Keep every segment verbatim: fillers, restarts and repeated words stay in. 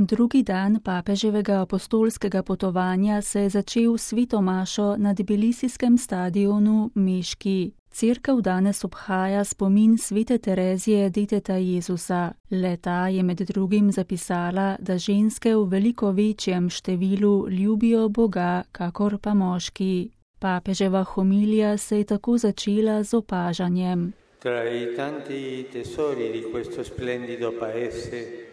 Drugi dan papeževega apostolskega potovanja se je začel s sveto mašo na tbilisijskem stadionu Meški. Cerkev danes obhaja spomin svete Terezije deteta Jezusa. Le-ta je med drugim zapisala, da ženske v veliko večjem številu ljubijo Boga, kakor pa moški. Papeževa homilija se je tako začela z opažanjem. Tra i tanti tesori di questo splendido paese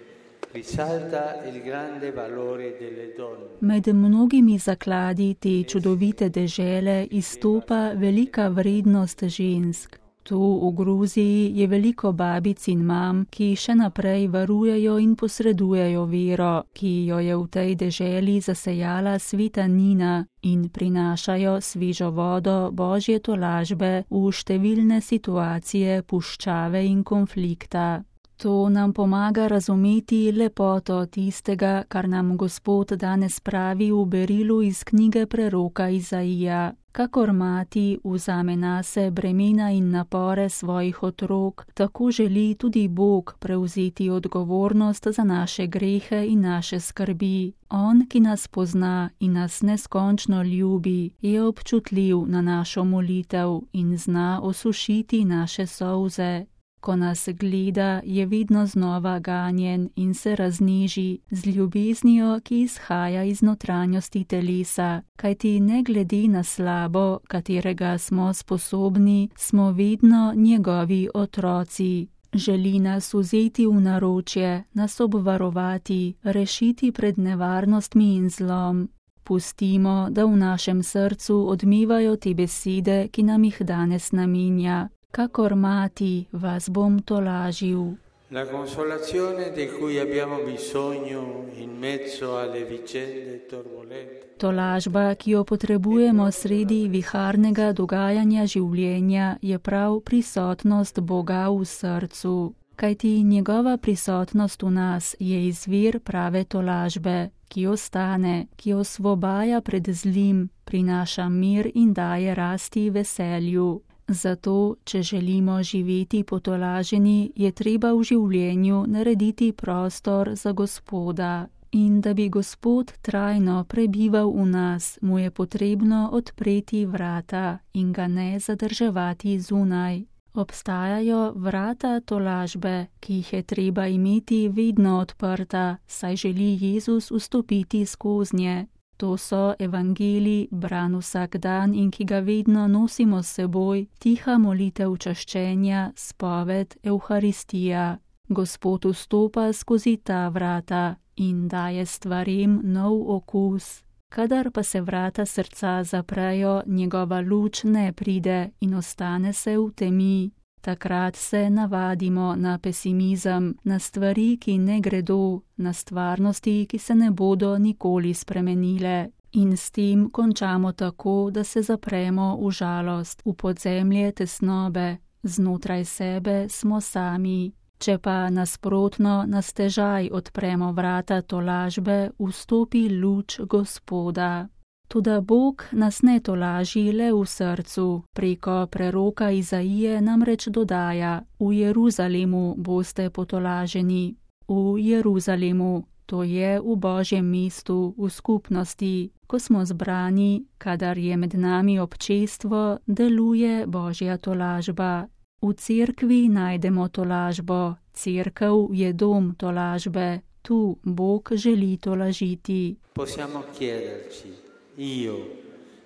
risalta il grande valore delle donne. Med mnogimi zakladi te čudovite dežele izstopa velika vrednost žensk. Tu v Gruziji je veliko babic in mam, ki še naprej varujejo in posredujejo vero, ki jo je v tej deželi zasejala sveta Nina in prinašajo svežo vodo Božje tolažbe v številne situacije puščave in konflikta. To nam pomaga razumeti lepoto tistega, kar nam Gospod danes pravi v berilu iz knjige preroka Izaija. Kakor mati vzame nase bremena in napore svojih otrok, tako želi tudi Bog prevzeti odgovornost za naše grehe in naše skrbi. On, ki nas pozna in nas neskončno ljubi, je občutljiv na našo molitev in zna osušiti naše solze. Ko nas gleda, je vedno znova ganjen in se razniži z ljubeznijo, ki izhaja iz notranjosti telesa, kajti ne glede na slabo, katerega smo sposobni, smo vedno njegovi otroci. Želi nas vzeti v naročje, nas obvarovati, rešiti pred nevarnostmi in zlom. Pustimo, da v našem srcu odmevajo te besede, ki nam jih danes namenja. Kakor mati vas bom tolažil. La consolazione di cui abbiamo bisogno in mezzo alle vicende turbolente. Tolažba, ki jo potrebujemo sredi viharnega dogajanja življenja, je prav prisotnost Boga v srcu. Kajti njegova prisotnost v nas je izvir prave tolažbe, ki ostane, ki osvobaja pred zlim, prinaša mir in daje rasti veselju. Zato, če želimo živeti potolaženi, je treba v življenju narediti prostor za Gospoda. In da bi Gospod trajno prebival v nas, mu je potrebno odpreti vrata in ga ne zadrževati zunaj. Obstajajo vrata tolažbe, ki jih je treba imeti vedno odprta, saj želi Jezus vstopiti skoznje. To so evangelij, bran vsak dan in ki ga vedno nosimo s seboj, tiha molitev čaščenja, spoved, Evharistija. Gospod vstopa skozi ta vrata in daje stvarem nov okus. Kadar pa se vrata srca zaprejo, njegova luč ne pride in ostane se v temi. Takrat se navadimo na pesimizem, na stvari, ki ne gredo, na stvarnosti, ki se ne bodo nikoli spremenile. In s tem končamo tako, da se zapremo v žalost, v podzemlje tesnobe, znotraj sebe smo sami. Če pa nasprotno na stežaj odpremo vrata tolažbe, vstopi luč Gospoda. Toda Bog nas ne tolaži le v srcu, preko preroka Izaije namreč dodaja: v Jeruzalemu boste potolaženi. V Jeruzalemu, to je v Božjem mestu, v skupnosti, ko smo zbrani, kadar je med nami občestvo, deluje Božja tolažba. V cerkvi najdemo tolažbo, cerkev je dom tolažbe, tu Bog želi tolažiti. Possiamo chiederci, io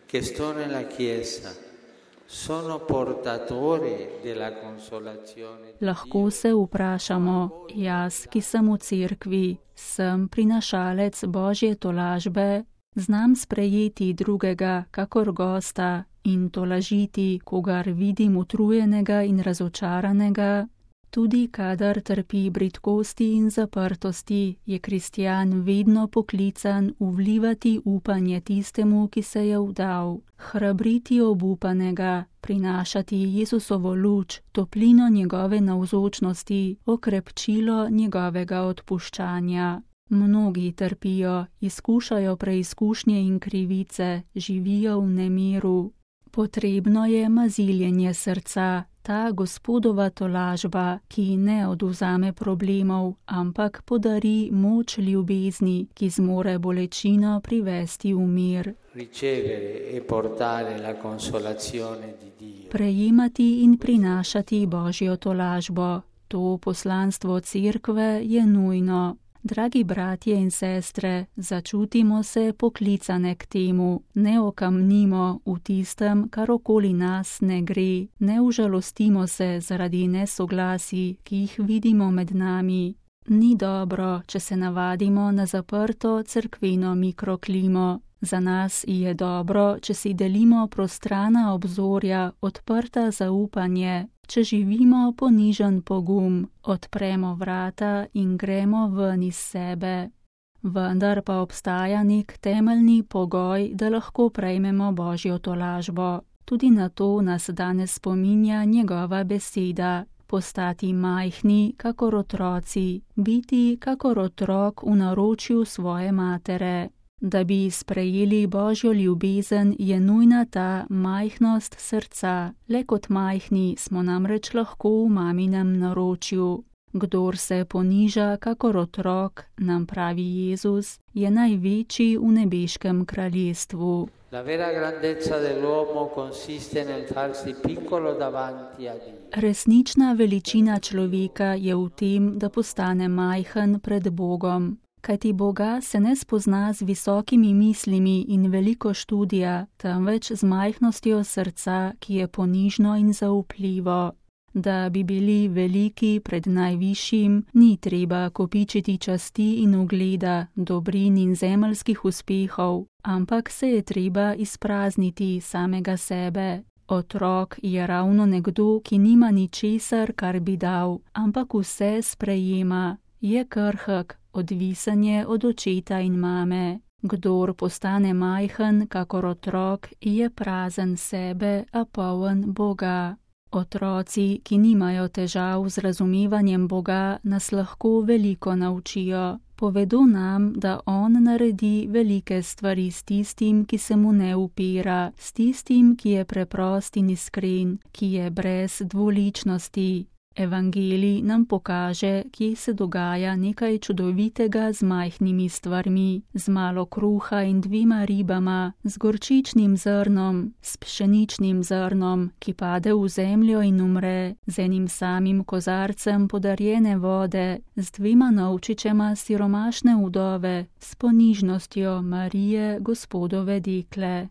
che sto nella chiesa, sono portatore della consolazione. Lahko se vprašamo, jaz, ki sem v cerkvi, sem prinašalec Božje tolažbe, znam sprejeti drugega kakor gosta in tolažiti, kogar vidim utrujenega in razočaranega. Tudi kadar trpi bridkosti in zaprtosti, je kristjan vedno poklican vlivati upanje tistemu, ki se je vdal, hrabriti obupanega, prinašati Jezusovo luč, toplino njegove navzočnosti, okrepčilo njegovega odpuščanja. Mnogi trpijo, izkušajo preizkušnje in krivice, živijo v nemiru. Potrebno je maziljenje srca, ta Gospodova tolažba, ki ne odvzame problemov, ampak podari moč ljubezni, ki zmore bolečino privesti v mir. Prejemati in prinašati Božjo tolažbo. To poslanstvo cerkve je nujno. Dragi bratje in sestre, začutimo se poklicane k temu, ne okamnimo v tistem, kar okoli nas ne gre, ne užalostimo se zaradi nesoglasij, ki jih vidimo med nami. Ni dobro, če se navadimo na zaprto cerkveno mikroklimo. Za nas je dobro, če si delimo prostrana obzorja, odprta zaupanje, če živimo ponižen pogum, odpremo vrata in gremo ven iz sebe. Vendar pa obstaja nek temeljni pogoj, da lahko prejmemo Božjo tolažbo. Tudi na to nas danes spominja njegova beseda. Postati majhni, kakor otroci, biti kakor otrok v naročju svoje matere. Da bi sprejeli Božjo ljubezen, je nujna ta majhnost srca. Le kot majhni smo namreč lahko v maminem naročju. Kdor se poniža kakor otrok, nam pravi Jezus, je največji v nebeškem kraljestvu. La vera grandezza dell'uomo consiste nel farsi piccolo davanti a Dio. Resnična veličina človeka je v tem, da postane majhen pred Bogom. Kajti Boga se ne spozna z visokimi mislimi in veliko študija, temveč z majhnostjo srca, ki je ponižno in zaupljivo. Da bi bili veliki pred najvišjim, ni treba kopičiti časti in ugleda, dobrin in zemeljskih uspehov, ampak se je treba izprazniti samega sebe. Otrok je ravno nekdo, ki nima ničesar, kar bi dal, ampak vse sprejema, je krhek, odvisen je od očeta in mame. Kdor postane majhen, kakor otrok, je prazen sebe, a poln Boga. Otroci, ki nimajo težav z razumevanjem Boga, nas lahko veliko naučijo. Povedo nam, da On naredi velike stvari s tistim, ki se mu ne upira, s tistim, ki je preprost in iskren, ki je brez dvoličnosti. Evangelij nam pokaže, kje se dogaja nekaj čudovitega z majhnimi stvarmi, z malo kruha in dvima ribama, z gorčičnim zrnom, s pšeničnim zrnom, ki pade v zemljo in umre, z enim samim kozarcem podarjene vode, z dvema novčičema siromašne vdove, s ponižnostjo Marije, Gospodove dekle.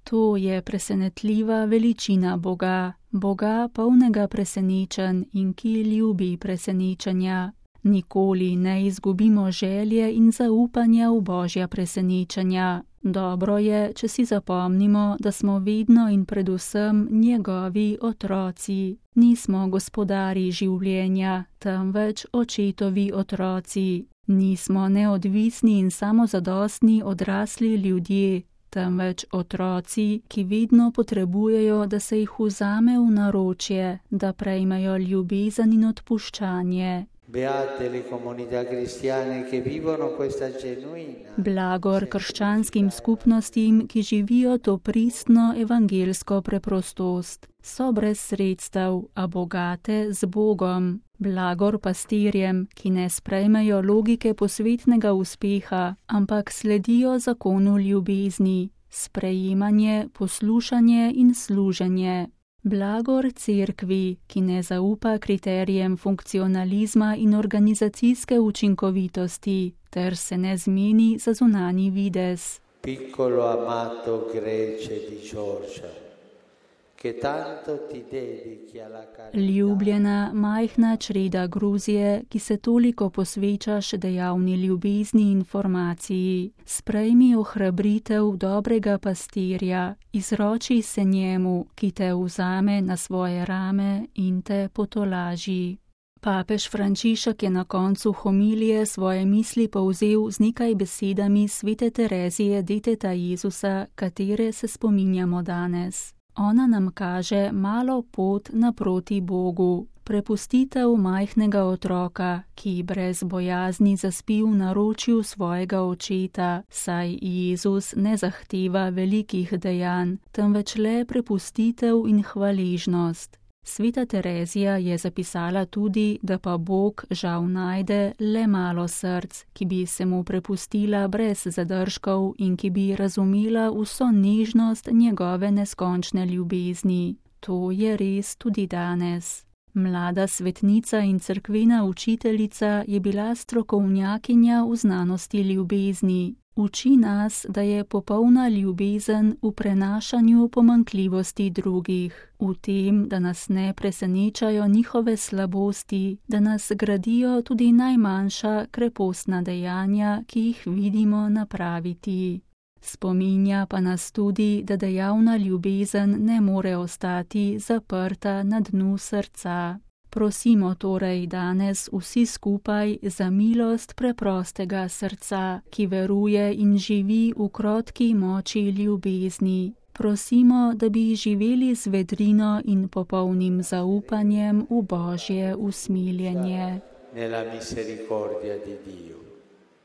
To je presenetljiva veličina Boga, Boga polnega presenečenj in ki ljubi presenečenja. Nikoli ne izgubimo želje in zaupanja v Božja presenečenja. Dobro je, če si zapomnimo, da smo vedno in predvsem njegovi otroci. Nismo gospodari življenja, temveč očetovi otroci. Nismo neodvisni in samozadostni odrasli ljudje, temveč otroci, ki vedno potrebujejo, da se jih vzame v naročje, da prejmejo ljubezen in odpuščanje. Blagor krščanskim skupnostim, ki živijo to pristno evangelsko preprostost. So brez sredstev, a bogate z Bogom. Blagor pastirjem, ki ne sprejmejo logike posvetnega uspeha, ampak sledijo zakonu ljubezni, sprejemanje, poslušanje in služenje. Blagor cerkvi, ki ne zaupa kriterijem funkcionalizma in organizacijske učinkovitosti, ter se ne zmeni za zunanji videz. Piccolo amato Grece di Giorgia. Ljubljena, majhna čreda Gruzije, ki se toliko posvečaš dejavni ljubezni in formaciji, sprejmi ohrabritev dobrega pastirja, izroči se njemu, ki te vzame na svoje rame in te potolaži. Papež Frančišek je na koncu homilije svoje misli povzel z nekaj besedami svete Terezije deteta Jezusa, katere se spominjamo danes. Ona nam kaže malo pot naproti Bogu. prepustitev majhnega otroka, ki brez bojazni zaspi v naročju svojega očeta, saj Jezus ne zahteva velikih dejanj, temveč le prepustitev in hvaležnost. Sveta Terezija je zapisala tudi, da pa Bog žal najde le malo src, ki bi se mu prepustila brez zadržkov in ki bi razumela vso nežnost njegove neskončne ljubezni. To je res tudi danes. Mlada svetnica in cerkvena učiteljica je bila strokovnjakinja v znanosti ljubezni. Uči nas, da je popolna ljubezen v prenašanju pomanjkljivosti drugih, v tem, da nas ne presenečajo njihove slabosti, da nas gradijo tudi najmanjša krepostna dejanja, ki jih vidimo napraviti. Spominja pa nas tudi, da dejavna ljubezen ne more ostati zaprta na dnu srca. Prosimo torej danes vsi skupaj za milost preprostega srca, ki veruje in živi v krotki moči ljubezni. Prosimo, da bi živeli z vedrino in popolnim zaupanjem v Božje usmiljenje. Nella misericordia di Dio.